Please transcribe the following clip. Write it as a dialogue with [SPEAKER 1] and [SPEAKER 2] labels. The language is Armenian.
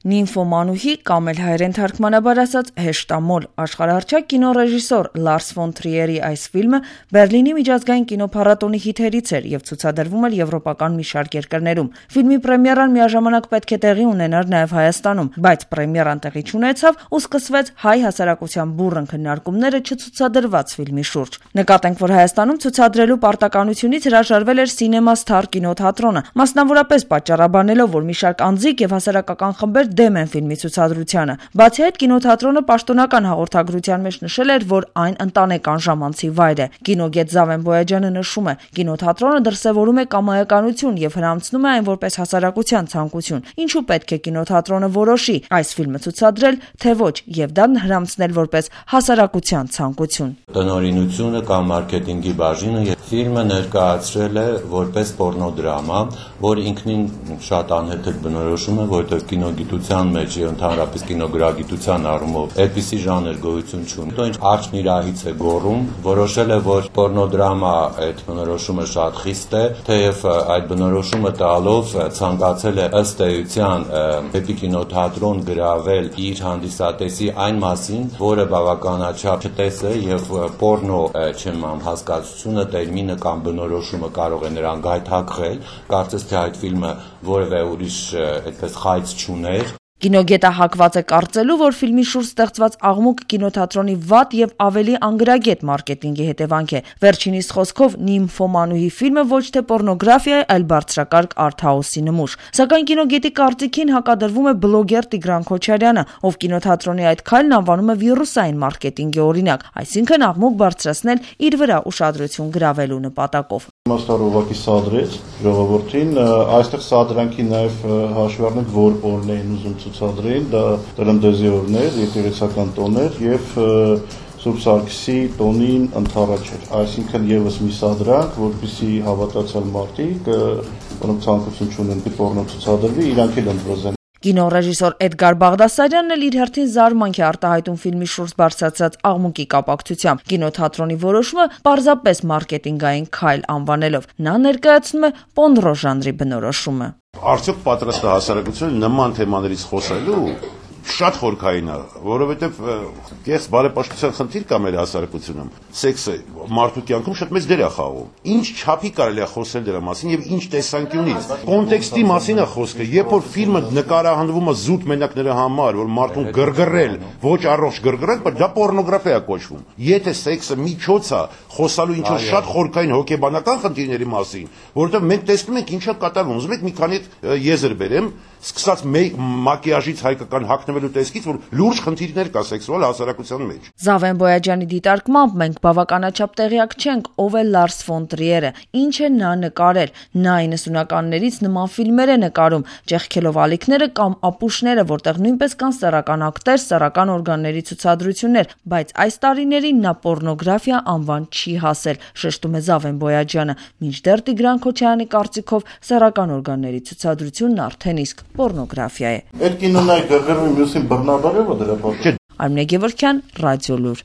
[SPEAKER 1] Նիմֆոմանուհի կամ էլ հայերեն թարգմանաբար ասած հեշտամոլ աշխարհահռչակ կինոռեժիսոր Լարս ֆոն Տրիերի այս ֆիլմը Բերլինի միջազգային կինոփառատոնի հիթերից էր եւ ցուցադրվում էր եվրոպական մի շարք երկրներում։ Ֆիլմի պրեմիերան միաժամանակ պետք է տեղի ունենար նաեւ Հայաստանում, բայց պրեմիերան տեղի չունեցավ ու սկսվեց հայ հասարակության բուռն քննարկումները չցուցադրված ֆիլմի շուրջ։ Նկատենք, որ Հայաստանում ցուցադրելու պարտականությունից հրաժարվել էր Սինեմա Սթար կինոթատրոնը, մասնավորապես պատճառաբանելով, որ մի շարք անձիկ եւ հասարակական խմբեր դեմ են ֆիլմի ցուցադրությանը։ Բացի այդ, կինոթատրոնը պաշտոնական հաղորդագրության մեջ նշել էր, որ այն ընտանեկան ժամանցի վայր է։ Կինոգետ Զավեն Բոյաջյանը նշում է. կինոթատրոնը դրսևորում է կամայականություն եւ հրամցնում է այն որպես հասարակության ցանկություն։ Ինչու պետք է կինոթատրոնը որոշի այս ֆիլմը ցուցադրել, թե ոչ, եւ դա հրամցնել որպես հասարակության ցանկություն։
[SPEAKER 2] Տնօրինությունը կամ մարքեթինգի բաժինը ֆիլմը ներկայացրել է որպես պոռնոդրամա, որ ինքնին շատ անհեթեթ բնորոշում է, որտեղ կինոգիտության մեջ եւ ընդհանրապես կինոգրագիտության առումով այդպիսի ժանր գոյություն չունի։ Ինչ արջն իր ահից է գոռում, որոշել է, որ պոռնոդրամա այդ բնորոշումը շատ խիստ է, թեև այդ բնորոշումը տալով ցանկացել է ըստ էության դեպի կինոթատրոն գրավել իր հանդիսատեսի այն մասին, որը բավականաչափ չտես է եւ պոռնո հասկացությունը, տերմինը կամ բնորոշումը կարող է նրան գայթակղել, կարծես թե այդ ֆիլմը որևէ ուրիշ այդպես խայծ չուներ։
[SPEAKER 1] Կինոգետը հակված է կարծելու, որ ֆիլմի շուրջ ստեղծված աղմուկ կինոթատրոնի վատ եւ ավելի անգրագետ մարքեթինգի հետևանք է։ Վերջինիս խոսքով Նիմֆոմանուհի ֆիլմը ոչ թե պոռնոգրաֆիա է, այլ բարձրակարգ արթհաուսի նմուշ։ Սակայն կինոգետի կարծիքին հակադրվում է բլոգեր Տիգրան Քոչարյանը, ով կինոթատրոնի այդ քայլն անվանում է վիրուսային մարքեթինգի օրինակ, այսինքն աղմուկ բարձրացնել իր վրա ուշադրություն գրավելու նպատակով։
[SPEAKER 3] Մասնարովակի սադրեց ժողովրդին, այստեղ սադրանքի նաև հաշվի առնենք, որ օրն էին ուզում ցուցադրել, դա տրնդեզի օրներ, եկեղեցական տոներ եւ Սուրբ Սարգսի տոնին ընդառաջ էր, այսինքն եւս մի սադրանք, որպեսզի հավատացյալ մարդիկ, որոնք ցանկություն չունեն պոռնո ցուցադրվի, իրանք էլ ընտրեն։
[SPEAKER 1] Կինոռեժիսոր Էդգար Բաղդասարյանն էլ իր հերթին զարմանք է արտահայտում ֆիլմի շուրջ բարձրացած աղմուկի կապակցությամբ։ Կինոթատրոնի որոշումը պարզապես մարքեթինգային քայլ անվանելով։ Նա ներկայացնում է պոռնո ժանրի բնորոշումը։
[SPEAKER 4] Արդյոք պատրաստ է հասարակությունը նման թեմաներից խոսելու։ Շատ խորքային է, որովհետև կես բարեպաշտության խնդիր կա մեր հասարակությունում։ Սեքսը մարդու կյանքում շատ մեծ դեր է խաղում։ Ինչ չափի կարելի է խոսել դրա մասին եւ ինչ տեսանկյունից։ Կոնտեքստի մասին է խոսքը, երբ որ ֆիլմը նկարահանվում է զուտ մենակ նրա համար, որ մարդուն գրգռել, ոչ առողջ գրգռել, բայց դա պոռնոգրաֆիա է կոչվում։ Եթե սեքսը միջոց է խոսալու ինչ-որ շատ խորքային հոգեբանական խնդիրների մասին, որովհետև մենք տեսնում ենք ինչա կատարվում։ Ուզում եք մի քանի եզր բերեմ, սկսած մակիաժից հայկական հագնվելու տեսքից, որ լուրջ խնդիրներ կա սեքսուալ հասարակության մեջ։
[SPEAKER 1] Զավեն Բոյաջյանի դիտարկմամբ մենք բավականաչափ տեղյակ չենք, ով է Լարս ֆոն Տրիերը, ինչ է նա նկարել։ Նա 90-ականներից նման ֆիլմեր է նկարում, ճեղքելով ալիքները կամ ապուշները, որտեղ նույնպես կան սեռական ակտեր, սեռական օրգանների ցուցադրություններ, բայց այս տարիներին նա պոռնոգրաֆիա անվան չի հասել, շեշտում է Զավեն Բոյաջյանը, մինչդեռ Տիգրան Քոչարյանի կարծիքով սեռական օրգանների ցուցադրությունն արդեն իսկ պոռնոգրաֆիա է։
[SPEAKER 3] Այդ կինոն այ գրգռվի մյուսին բռնաբարել է դրա պատճառով։
[SPEAKER 1] Արմինե Գևորգյան, Ռադիոլուր։